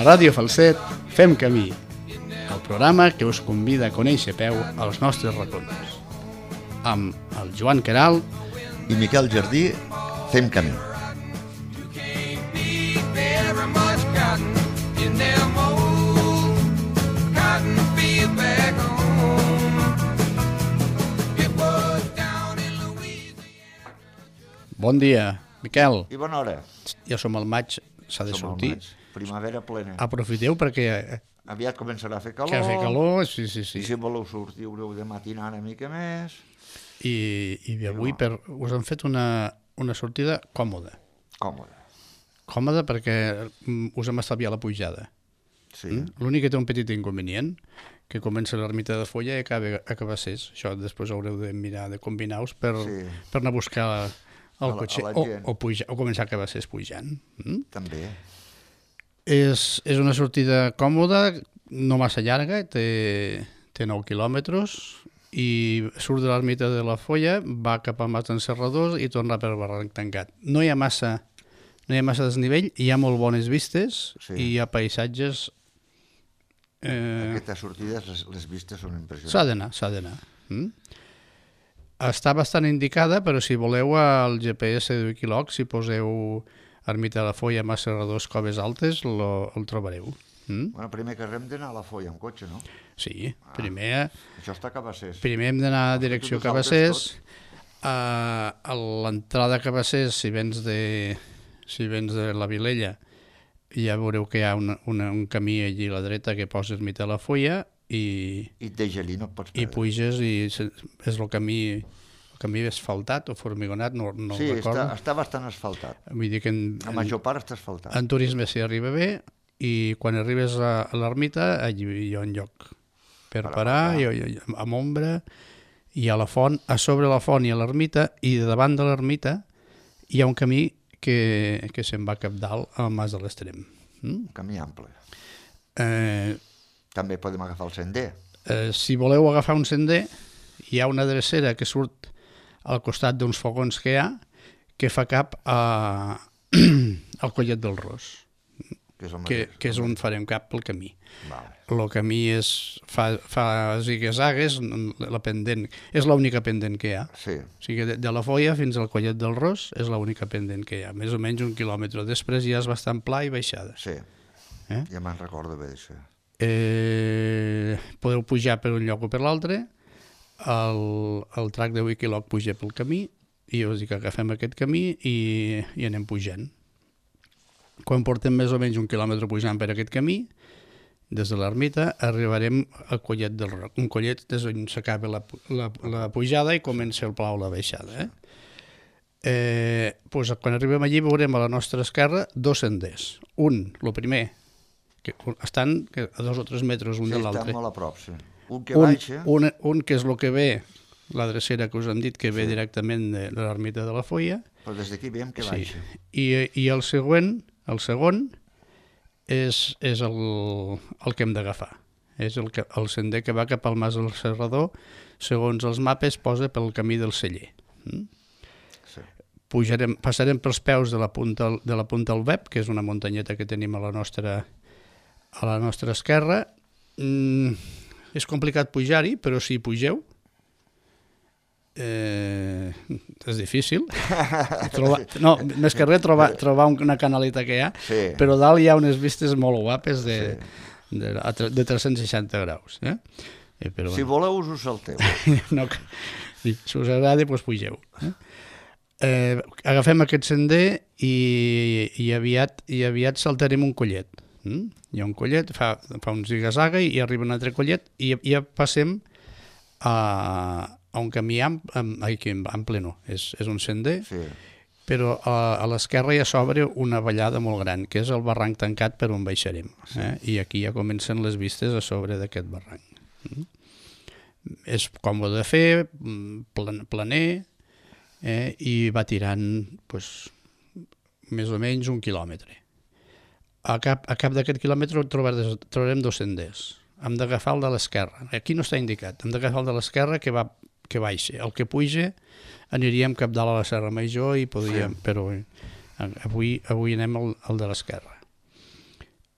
A Ràdio Falset fem camí, el programa que us convida a conèixer a peu els nostres racons. Amb el Joan Queralt i Miquel Jardí fem camí. Bon dia, Miquel. I bona hora. Ja som al maig, s'ha de sortir. Primavera plena. Aprofiteu perquè... Aviat començarà a fer calor. Que ha fet calor, sí. I si voleu sortir haureu de matinar una mica més. I avui us han fet una sortida còmoda. Còmoda perquè us hem estalviat la pujada. Sí. L'únic que té un petit inconvenient, que comença l'ermita de Folla i acaba a Cabassers. Això després haureu de mirar de combinar-vos per anar a buscar el cotxe o començar a Cabassers pujant. També. És una sortida còmoda, no massa llarga, té 9 quilòmetres i surt de l'ermita de la Folla, va cap al Mas d'en Serradors i torna per Barranc Tancat. No hi ha massa desnivell, hi ha molt bones vistes i hi ha paisatges... Aquestes sortides, les vistes són impressionants. S'ha d'anar. Està bastant indicada, però si voleu al GPS de Wikiloc, si poseu Ermita de la Folla, Mas Serradors, Coves Altes, el trobareu. Bueno, primer que hem d'anar a la Folla amb cotxe, no? Sí, primer... Això està a Cabassers. Primer hem d'anar a direcció a Cabassers. A l'entrada a Cabassers, si vens de la Vilella, ja veureu que hi ha un camí allí a la dreta que posa Ermita de la Folla i et deixa allí, no et pots perdre. I puges i és el camí asfaltat o formigonat, no recordo. Sí, està bastant asfaltat. Vull dir que la major part està asfaltat. En turisme s'hi arriba bé i quan arribes a l'ermita allí hi ha un lloc per parar, amb ombra, i a la font, a sobre la font i a l'ermita, i davant de l'ermita hi ha un camí que se'n va cap dalt al Mas de l'Extrem. Un camí ample. També podem agafar el sender. Si voleu agafar un sender, hi ha una drecera que surt al costat d'uns fogons que hi ha, que fa cap al Collet del Ros, que és on farem cap pel camí. El camí fa zigue-zagues, la pendent, és l'única pendent que hi ha. O sigui, de la Folla fins al Collet del Ros és l'única pendent que hi ha, més o menys 1 quilòmetre. Després ja és bastant pla i baixada. Sí, ja me'n recordo bé d'això. Podeu pujar per un lloc o per l'altre, el track de Wikiloc puja pel camí i us dic que agafem aquest camí i anem pujant. Quan portem més o menys 1 quilòmetre pujant per aquest camí, des de l'ermita arribarem al Collet del Roc, un collet des on s'acaba la pujada i comença el pla o la baixada. Quan arribem allí veurem a la nostra esquerra 2 senders. El primer, que estan a 2 o 3 metres un de l'altre. Sí, estan molt a prop, sí. Un que baixa. Un que és el que ve, la drecera que us hem dit, que ve directament de l'ermita de la Folla. Però des d'aquí veiem que baixa. I el segon és el que hem d'agafar. És el sender que va cap al Mas del Serrador, segons els mapes posa pel camí del Celler. Passarem pels peus de la punta al Web, que és una muntanyeta que tenim a la nostra esquerra. És complicat pujar-hi, però si hi pugeu és difícil. Més que res trobar una canaleta que hi ha, però dalt hi ha unes vistes molt guapes de 360 graus. Si voleu us ho salteu. Si us agrada, doncs pugeu. Agafem aquest sender i aviat saltarem un collet. Hi ha un collet, fa un ziga-zaga i arriba un altre collet i ja passem a un camí ample, no, és un sender, però a l'esquerra ja s'obre una vallada molt gran, que és el Barranc Tancat per on baixarem, i aquí ja comencen les vistes a sobre d'aquest barranc. És còmode de fer, planer, i va tirant més o menys 1 quilòmetre. A cap d'aquest quilòmetre trobarem 2 senders. Hem d'agafar el de l'esquerra. Aquí no està indicat. Hem d'agafar el de l'esquerra que baixa. El que puja aniríem cap dalt a la Serra Major i podríem... Però avui anem al de l'esquerra.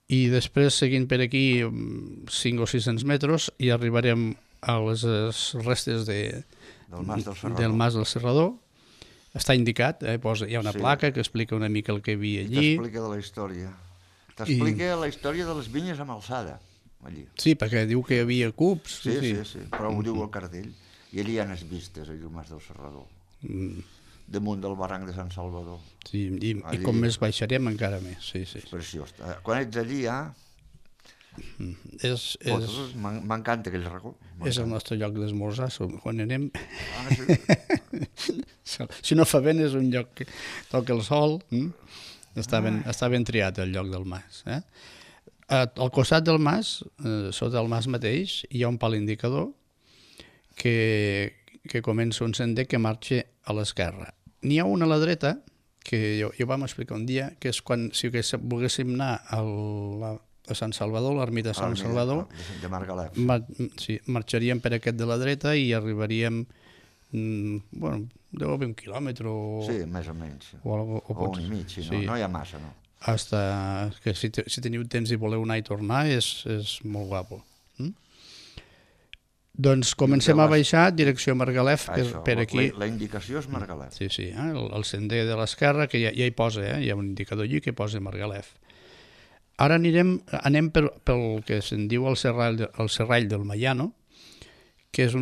i després seguint per aquí 5 o 600 metres i arribarem a les restes del Mas del Serrador. Està indicat, hi ha una placa que explica una mica el que hi havia allí. T'explica de la història. T'explica la història de les vinyes amb alçada, allí. Sí, perquè diu que hi havia cubs. Sí, però ho diu el cartell. I allí hi ha les vistes, allà al Mas del Serrador. Damunt del barranc de Sant Salvador. Sí, i com més baixarem encara més. Sí. És preciós. Quan ets allí, m'encanta aquell racó. És el nostre lloc d'esmorzar, quan anem. Si no fa vent és un lloc que toca el sol. Està ben triat el lloc del mas. Al costat del mas, sota el mas mateix, hi ha un pal indicador que comença un sender que marxa a l'esquerra. N'hi ha una a la dreta, que jo vam explicar un dia, que és quan, si volguéssim anar a Sant Salvador, l'ermita de Sant Salvador, de Margalef. Marxaríem per aquest de la dreta i arribaríem, deu haver 1 quilòmetre o... Sí, més o menys. O 1 i mig, no hi ha massa, no? Que si teniu temps i voleu anar i tornar és molt guapo. Doncs comencem a baixar direcció Margalef, per aquí. La indicació és Margalef. Sí, el sender de l'esquerra, que ja hi posa, hi ha un indicador allí que posa Margalef. Ara anem pel que se'n diu el serrall del Mayano, que és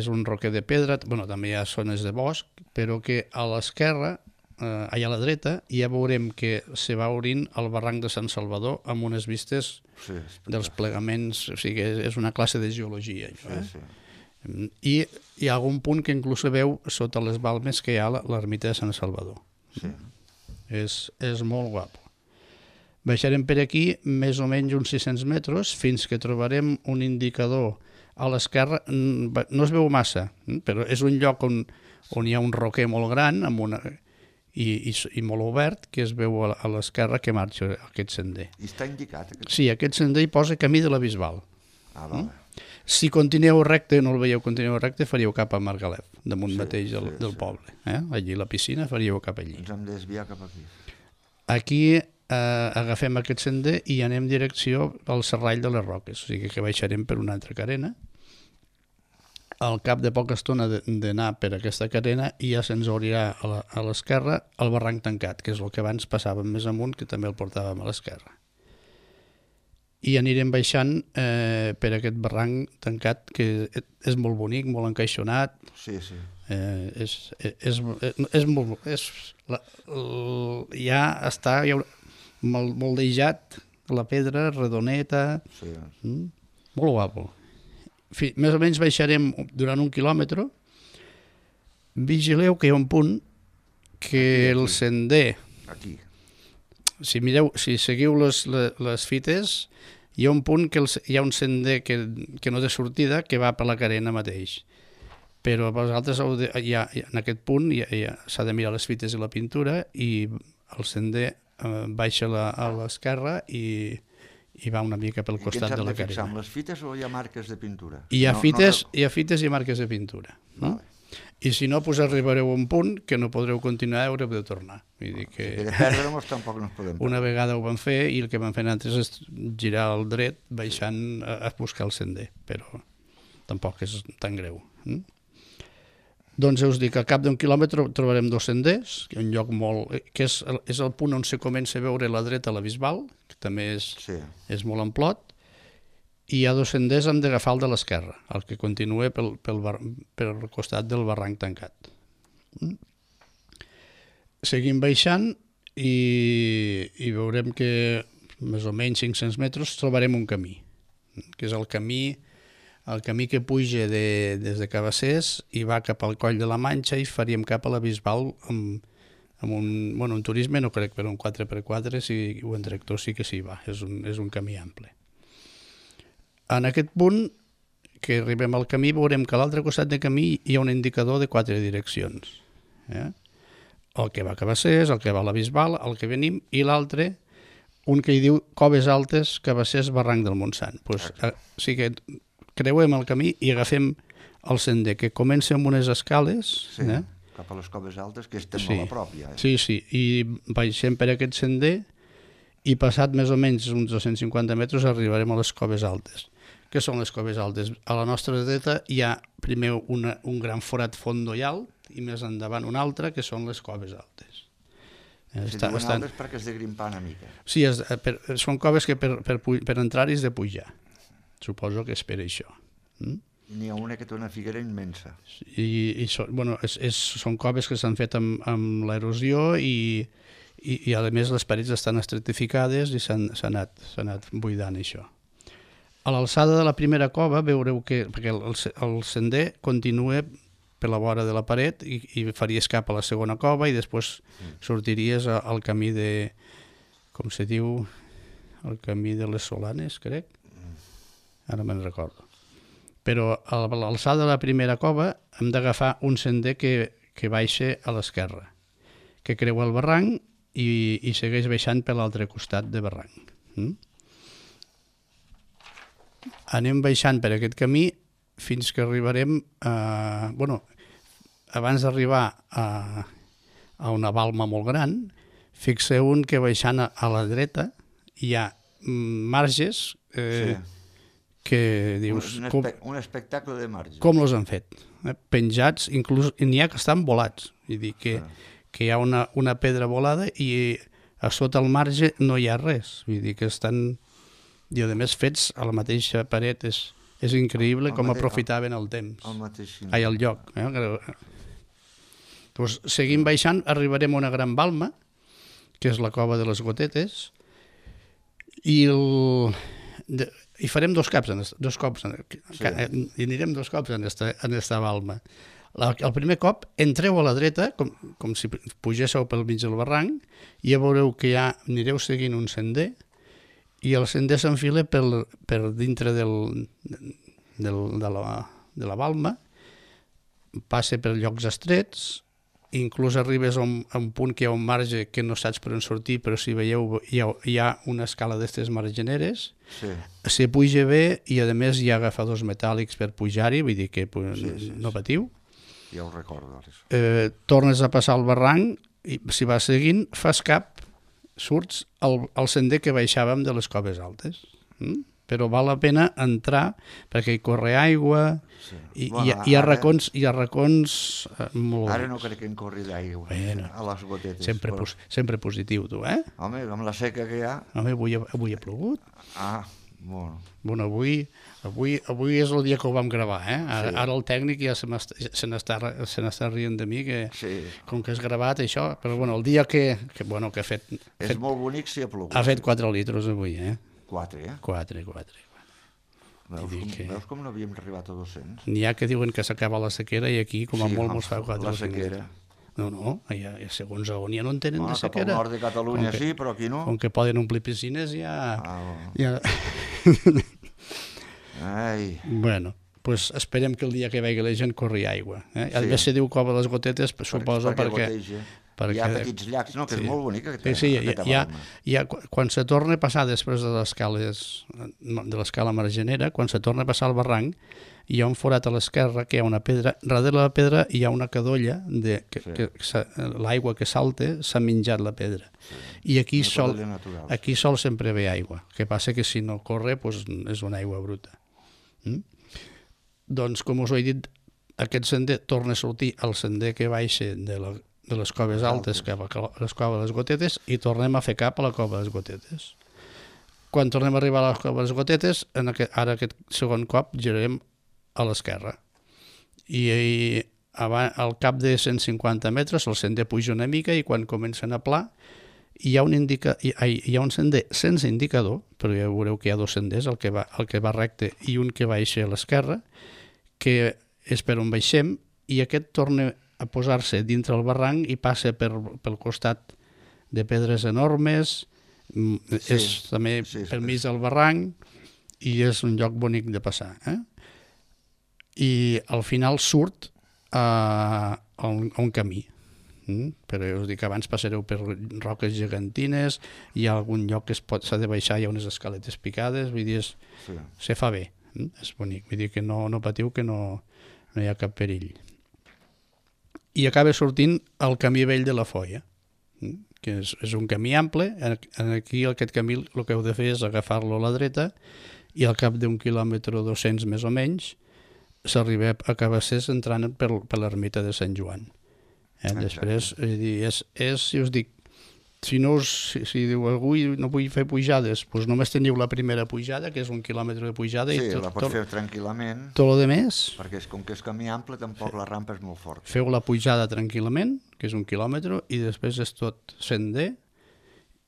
un roquer de pedra, també hi ha zones de bosc, però que a l'esquerra, allà a la dreta, ja veurem que se va obrint el barranc de Sant Salvador amb unes vistes dels plegaments, o sigui, és una classe de geologia. I hi ha algun punt que inclús se veu sota les balmes que hi ha l'ermita de Sant Salvador. És molt guapo. Baixarem per aquí més o menys uns 600 metres fins que trobarem un indicador a l'esquerra. No es veu massa, però és un lloc on hi ha un roquer molt gran i molt obert, que es veu a l'esquerra que marxa aquest sender. I està indicat? Sí, aquest sender hi posa camí de la Bisbal. Vale. Si continueu recte, no el veieu, continueu recte, faríeu cap a Margalef, damunt mateix del poble. Allí la piscina faríeu cap allí. Ens hem de desviar cap aquí. Aquí agafem aquest sender i anem direcció al Serrall de les Roques, o sigui que baixarem per una altra carena. Al cap de poca estona d'anar per aquesta carena i ja se'ns obrirà a l'esquerra el barranc tancat, que és el que abans passàvem més amunt, que també el portàvem a l'esquerra. I anirem baixant per aquest barranc tancat, que és molt bonic, molt encaixonat. Sí. És molt... Ja està moldejat, la pedra, redoneta... Molt guapo. Més o menys baixarem durant 1 quilòmetre. Vigileu que hi ha un punt que el sender... Aquí. Si seguiu les fites, hi ha un punt que hi ha un sender que no té sortida, que va per la carena mateix. Però vosaltres en aquest punt s'ha de mirar les fites i la pintura, i el sender baixa a l'esquerra i va una mica pel costat de la carena. I què ens hem de fixar, amb les fites o hi ha marques de pintura? Hi ha fites i marques de pintura. I si no, arribareu a un punt que no podreu continuar i haureu de tornar. Si de perdre-nos tampoc no ens podem perdre. Una vegada ho vam fer i el que vam fer nosaltres és girar al dret baixant a buscar el sender, però tampoc és tan greu. Doncs us dic, al cap d'1 quilòmetre trobarem 2 senders, un lloc que és el punt on se comença a veure la dreta la Bisbal, que també és molt amplot, i hi ha 2 senders, hem d'agafar el de l'esquerra, el que continua pel costat del barranc tancat. Seguim baixant i veurem que més o menys 500 metres trobarem un camí, que és el camí que puja des de Cabassers i va cap al Coll de la Manxa, i faríem cap a la Bisbal amb un turisme, no crec, però un 4x4 o en tractor sí que s'hi va, és un camí ample. En aquest punt que arribem al camí veurem que a l'altre costat del camí hi ha un indicador de 4 direccions. El que va a Cabassers, el que va a la Bisbal, el que venim, i l'altre, un que hi diu Coves Altes, Cabassers, Barranc del Montsant. O sigui que creuem el camí i agafem el sender, que comença amb unes escales. Sí, cap a les Coves Altes, que estem molt a prop ja. Sí, i baixem per aquest sender i passat més o menys uns 250 metres arribarem a les Coves Altes. Què són les Coves Altes? A la nostra dreta hi ha primer un gran forat fondo i alt i més endavant un altre, que són les Coves Altes. Si diuen altes perquè és de grimpar una mica. Sí, són coves que per entrar-hi és de pujar. Suposo que és per això. N'hi ha una que té una figuera immensa. Són coves que s'han fet amb l'erosió i a més les parets estan estratificades i s'ha anat buidant això. A l'alçada de la primera cova veureu perquè el sender continua per la vora de la paret i faries cap a la segona cova i després sortiries al camí de, com se diu, el camí de les Solanes, crec. Ara me'n recordo. Però a l'alçada de la primera cova hem d'agafar un sender que baixa a l'esquerra, que creua el barranc i segueix baixant per l'altre costat de barranc. Anem baixant per aquest camí fins que arribarem abans d'arribar a una balma molt gran, fixeu-vos que baixant a la dreta hi ha marges que dius... Un espectacle de marges. Com els han fet? Penjats, inclús n'hi ha que estan volats. Vull dir que hi ha una pedra volada i a sota el marge no hi ha res. Vull dir que estan... I a més fets a la mateixa paret és increïble com aprofitaven el temps. El lloc. Doncs seguim baixant, arribarem a una gran balma, que és la cova de les Gotetes, i farem dos cops, i anirem dos cops en esta balma. El primer cop entreu a la dreta, com si pugéssiu pel mig del barranc, i ja veureu que anireu seguint un sender, i el sender s'enfila per dintre de la balma, passa per llocs estrets, inclús arribes a un punt que hi ha un marge que no saps per on sortir, però si veieu hi ha una escala d'aquestes margeneres, se puja bé i a més hi ha agafadors metàl·lics per pujar-hi, vull dir que no patiu. Ja ho recordo. Tornes a passar el barranc i si vas seguint fas cap, surts al sender que baixàvem de les Coves Altes. Però val la pena entrar perquè hi corre aigua i hi ha racons molt... Ara no crec que en corri d'aigua a les Gotetes. Sempre positiu, tu, eh? Home, amb la seca que hi ha... Home, avui ha plogut. Bueno, avui és el dia que ho vam gravar, eh? Ara el tècnic ja se n'està rient de mi, que com que és gravat això, però bueno, el dia que ha fet... És molt bonic si ha plogut. Ha fet 4 litres avui, eh? 4, eh? 4. Veus com no havíem arribat a 200? N'hi ha que diuen que s'acaba la sequera i aquí com a molt mos fa 4 la sequera. No, segons on ja no en tenen de sequera. Cap al nord de Catalunya sí, però aquí no. Com que poden omplir piscines ja... Ai. Bueno, pues esperem que el dia que vegi la gent corri aigua. A més se diu Cova de les Gotetes, suposo perquè... Hi ha petits llacs, no? Que és molt bonic aquesta balma. Quan se torna a passar després de l'escala margenera, quan se torna a passar el barranc, hi ha un forat a l'esquerra que hi ha una pedra, darrere la pedra hi ha una cadolla que l'aigua que salta s'ha menjat la pedra i aquí sol sempre ve aigua, que passa que si no corre és una aigua bruta. Doncs com us he dit, aquest sender torna a sortir al sender que baixa de les Coves Altes cap a les Coves de les Gotetes i tornem a fer cap a la Cova de les Gotetes. Quan tornem a arribar a la Cova de les Gotetes, ara aquest segon cop girarem a l'esquerra i al cap de 150 metres el sender puja una mica i quan comencen a pla hi ha un sender sense indicador, però ja veureu que hi ha dos senders, el que va recte i un que baixa a l'esquerra, que és per on baixem, i aquest torna a posar-se dintre el barranc i passa pel costat de pedres enormes, és també per mig del barranc i és un lloc bonic de passar. I al final surt a un camí. Però ja us dic que abans passareu per roques gegantines, hi ha algun lloc que s'ha de baixar, hi ha unes escaletes picades, vull dir, se fa bé, és bonic, vull dir que no patiu, que no hi ha cap perill. I acaba sortint el camí vell de la Foia, que és un camí ample. Aquí aquest camí el que heu de fer és agafar-lo a la dreta i al cap d'un quilòmetre o 200 més o menys s'arriba a Cabassers entrant per l'ermita de Sant Joan. Després, si us dic, si diu algú no vull fer pujades, doncs només teniu la primera pujada, que és 1 quilòmetre de pujada. Sí, i la pots fer tranquil·lament. Tot el més, perquè com que és camí ample, tampoc la rampa és molt forta. Feu la pujada tranquil·lament, que és 1 quilòmetre, i després és tot sender,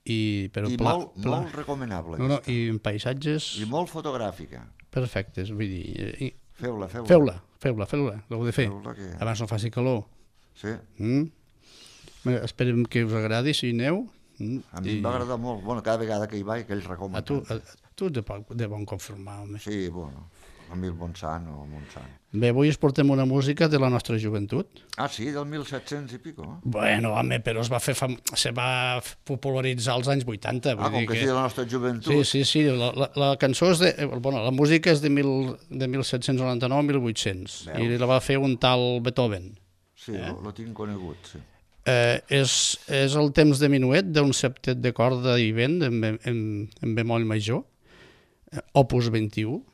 molt recomanable. No, i en paisatges... I molt fotogràfica. Perfectes, vull dir... Feu-la. L'heu de fer. Abans no faci calor. Sí. Esperem que us agradi, si hi aneu. A mi em va agradar molt. Bueno, cada vegada que hi vaig, que ells recomanen. A tu de bon conformar, home. Sí, bueno, a mi el Montsant o Montsant. Bé, avui us portem una música de la nostra joventut. Ah, sí, del 1700 i pico. Bueno, home, però se va popularitzar als anys 80. Com que sí, de la nostra joventut. Sí, la cançó és la música és de 1799-1800 i la va fer un tal Beethoven. Sí, lo tinc conegut, sí. És el temps de minuet d'un septet de corda i vent en bemoll major, opus 21,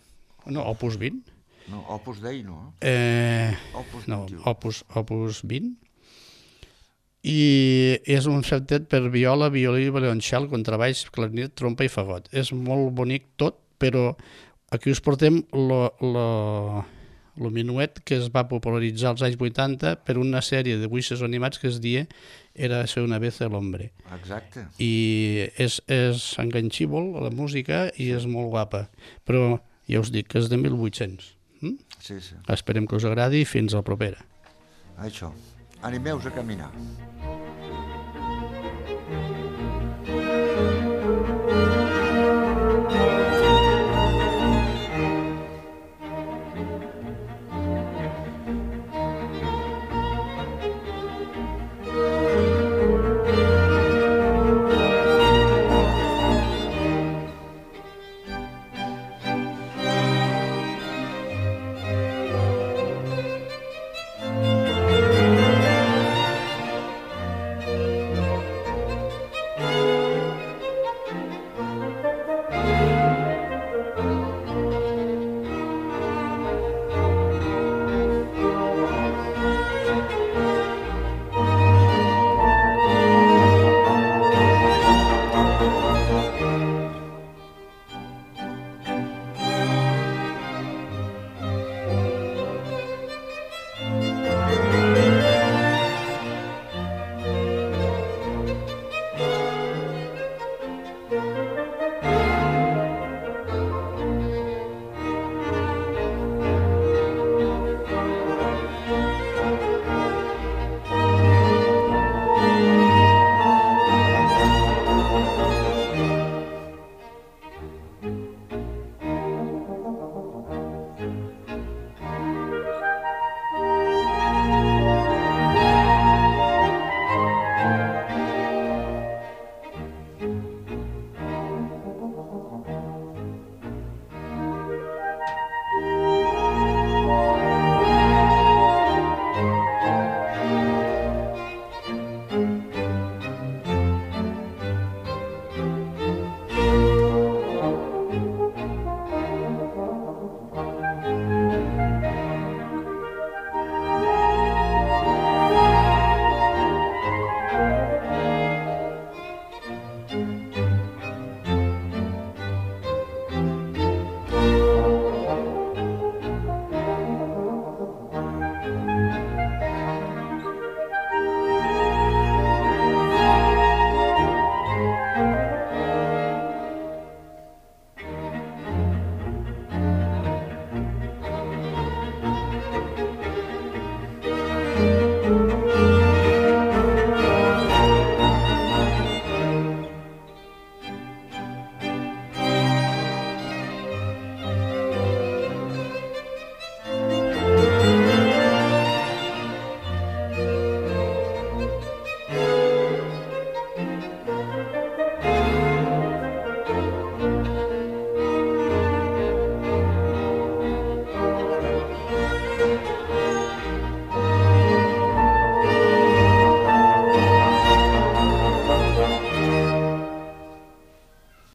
no, opus 20. No, opus Dei no. Opus 21. No, opus 20. I és un septet per viola, violí, violoncel, contrabaix, clarinet, trompa i fagot. És molt bonic tot, però aquí us portem el minuet que es va popularitzar als anys 80 per una sèrie de dibuixos animats que es deia Érase una vez el hombre. Exacte. I és enganxíbol la música i és molt guapa, però ja us dic que és de 1800. Sí. Esperem que us agradi i fins a la propera. Això, animeu-vos a caminar.